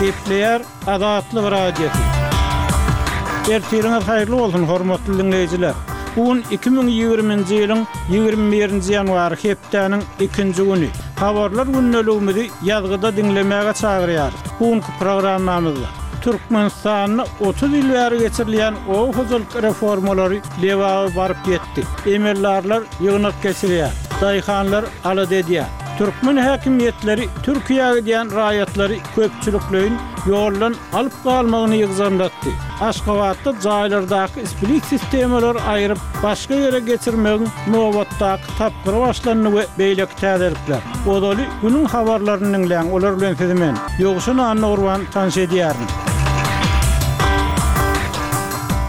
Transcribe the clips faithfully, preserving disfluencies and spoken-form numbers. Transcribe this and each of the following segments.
Gepleýär Azatlyk Radiosy. Ertiriňiz haýyrly bolsun, hormatly diňleýjiler. Bu gün iki müň ýigriminji ýylyň ýigrimi birinji ýanwary, hepdäniň ikinji güni. Habarlar gündeligimizi ýazgyda diňlemäge çagyrýarys. Bu günki programmamyzda Türkmenistanda otuz ýyl bäri geçirilýän oba hojalyk reformalary Lebaba baryp ýetdi. Emeldarlar ýygnak geçirýär. Daýhanlar alada edýär. Türkmen häkimiýetleri Türkiýä gidýän raýatlary köpçülikleýin ýoldan alyp galmagyny ýygjamlatdy. Aşgabatda jaýlardaky split sistemalary aýryp, başga ýere geçirmegiň nobatdaky tapgyry başlandy we beýleki täzelikler. Ozaly günüň habarlaryny diňläň, olar bilen sizi men, Ýowşan Annagurban tanyş edýärin.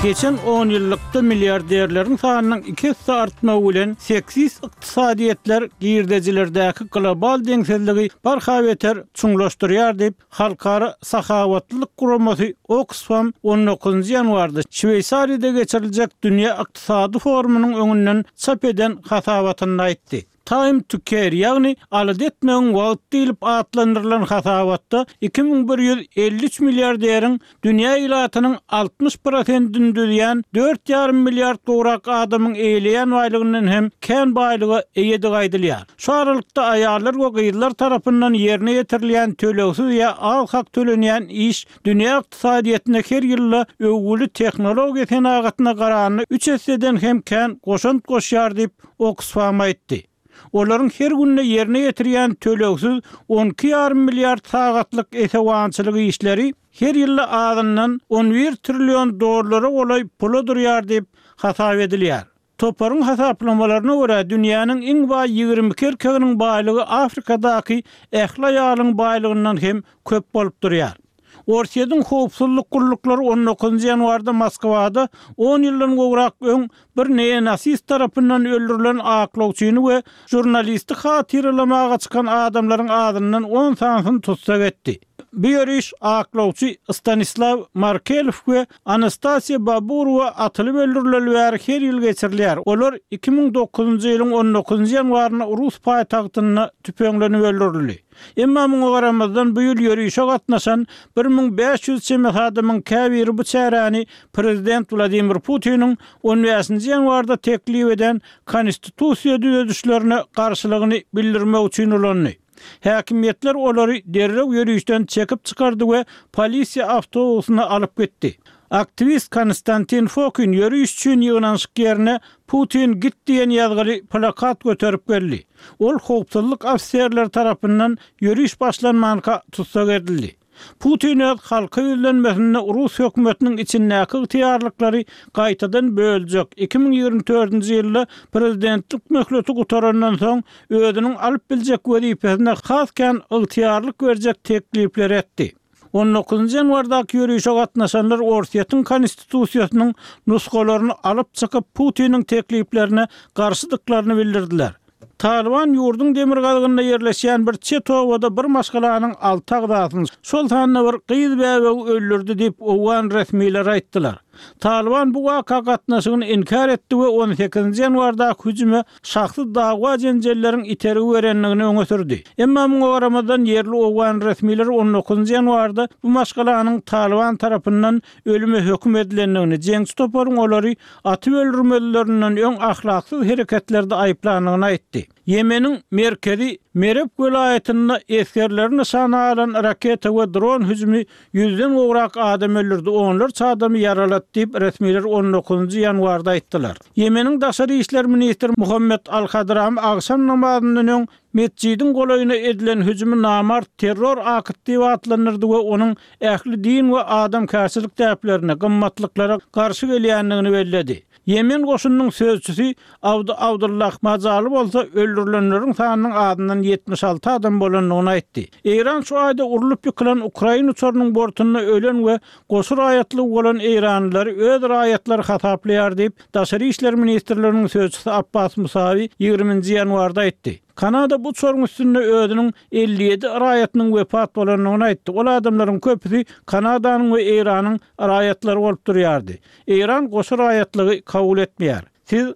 Geçen on ýyllykda milliarderleriň sanynyň iki esse artmagy bilen seksist ykdysadyýetler girdejilerdäki global deňsizligi barha beter çuňlaşdyrýar diýip, Halkara sahawatlylyk guramasy Oxfam on dokuzynjy ýanwarda Şweýsariýada geçiriljek Dünýä ykdysady forumynyň öňünden çap eden hasabatynda aýtdy. Time to Care, ýagny alada etmegiň wagty diýlip atlandyrylan hasabatda iki müň bir ýüz elli üç milliarderiň dünýä ilatynyň altmyş prosentini düzýän dört ýarym milliard gowrak adamyň eýeleýän baýlygyndan hem kän baýlyga eýedigi aýdylýar. Şu aralykda aýallar we gyzlar tarapyndan ýerine ýetirilýän tölegsiz ýa az hak tölenýän iş dünýä ykdysadyýetine her ýylda öwgüli tehnologiýa senagatyna garanda üç esseden hem kän goşant goşýar diýip Oxfam aýtdy. Olaryň her günde ýerine ýetirýän tölegsiz on iki ýarym milliard sagatlyk esewançylyk işleri her ýylda azyndan on bir trillion dollara golaý pula durýar diýip hasap edilýär. Toparyň hasaplamalaryna görä dünýäniň iň baý ýigrimi iki erkeginiň baýlygy Afrikadaky ähli aýalyň baýlygyndan hem köp bolup durýar. Orsýetiň howpsuzlyk gulluklary on dokuzynjy ýanwarda Moskwada on ýyldan gowrak öň bir neonasist tarapyndan öldürilen aklawçyny we žurnalisti hatyralamaga çykan adamlaryň azyndan on sanysyny tussag etdi. Bu ýöriş aklawçy Stanislaw Markelow we Anastasiýa Baburowa atylyp öldürileli bäri her ýyl geçirilýär. Olar iki müň dokuzynjy ýylyň on dokuzynjy ýanwarynda rus paýtagtynda tüpeňlenip öldürildi. Emma muňa garamazdan bu ýyl ýörişe gatnaşan bir müň bäş ýüz çemesi adamyň käbiri bu çäräni prezident Wladimir Putiniň on bäşinji ýanwarda teklip eden konstitusiýa düzedişlerine garşylygyny bildirmek üçin ulandy. Häkimiýetler olary derrew ýörişden çekip çykardy we polisiýa awtobusyna alyp gitdi. Aktiwist Konstantin Fokin ýöriş üçin ýygnanyşyk ýerine Putin git diýen ýazgyly plakat göterip geldi. Ol howpsuzlyk ofiserleri tarapyndan ýöriş başlanmanka tussag edildi. Putin öz halka ýüzlenmesinde Rus hökümetiniň içindäki ygtyýarlyklary gaýtadan böljek iki müň ýigrimi dördünji ýylda prezidentlik möhleti gutarandan soň özüniň alyp biljek wezipesine has kän ygtyýarlyk berjek teklipleri etdi. On dokuzynjy ýanwardaky ýörişe gatnaşanlar Orsýetiň konstitusiýasynyň nusgalaryny alyp çykyp Putiniň tekliplerine garşydyklaryny bildirdiler. Talyban ýurduň demirgazygynda ýerleşýän bir çet obada bir maşgalanyň alty agzasyny, şol sanda bir gyz bäbegi öldürdi diýip owgan resmileri aýtdylar. Talyban bu waka gatnaşygyny inkär etdi we on sekizinji ýanwardaky hüjüme şahsy dawa jenjelleriň itergi berendigini öňe sürdi. Emma muňa garamazdan ýerli owgan resmileri on dokuzynjy ýanwarda bu maşgalanyň Talyban tarapyndan ölüme höküm edilendigini, jeňçi toparyň olary atyp öldürmelilerinden öň ahlaksyz hereketlerde aýyplandygyny aýtdy. Ýemeniň merkezi Mereb welaýatynda esgerleri nyşana alan raketa we dron hüjümi ýüzden gowrak adam öldürdi, onlarça adamy ýaralady diýip resmiler on dokuzynjy ýanwarda aýtdylar. Ýemeniň daşary işler ministri Muhammed Al-Hadramy agşam namazyndan öň metjidiň golaýyna edilen hüjümi namart terror akyt diýip atlandyrdy we onuň ähli din we adamkärçilik däplerine, gymmatlyklara garşy gelýändigini belledi. Ýemen goşunynyň sözçüsi Abdy Abdullah Majaly bolsa öldürilenleriň sanynyň azyndan ýetmiş alty adam bolandygyny aýtdy. Eýran şu aýda urlup ýykylan Ukraina uçarynyň bortunda ölen we goşy raýatlygy bolan eýranlylary öz raýatlary hasaplaýar diýip, Daşary işler ministrliginiň sözçüsi Abbas Musawi ýigriminji ýanwarda aýtdy. Kanada bu uçaryň üstünde özüniň elli ýedi raýatynyň wepat bolandygyny aýtdy. Ol adamlaryň köpüsi Kanadanyň we Eýranyň raýatlary bolup durýardy. Eýran goşy raýatlygy kabul etmeýär. Siz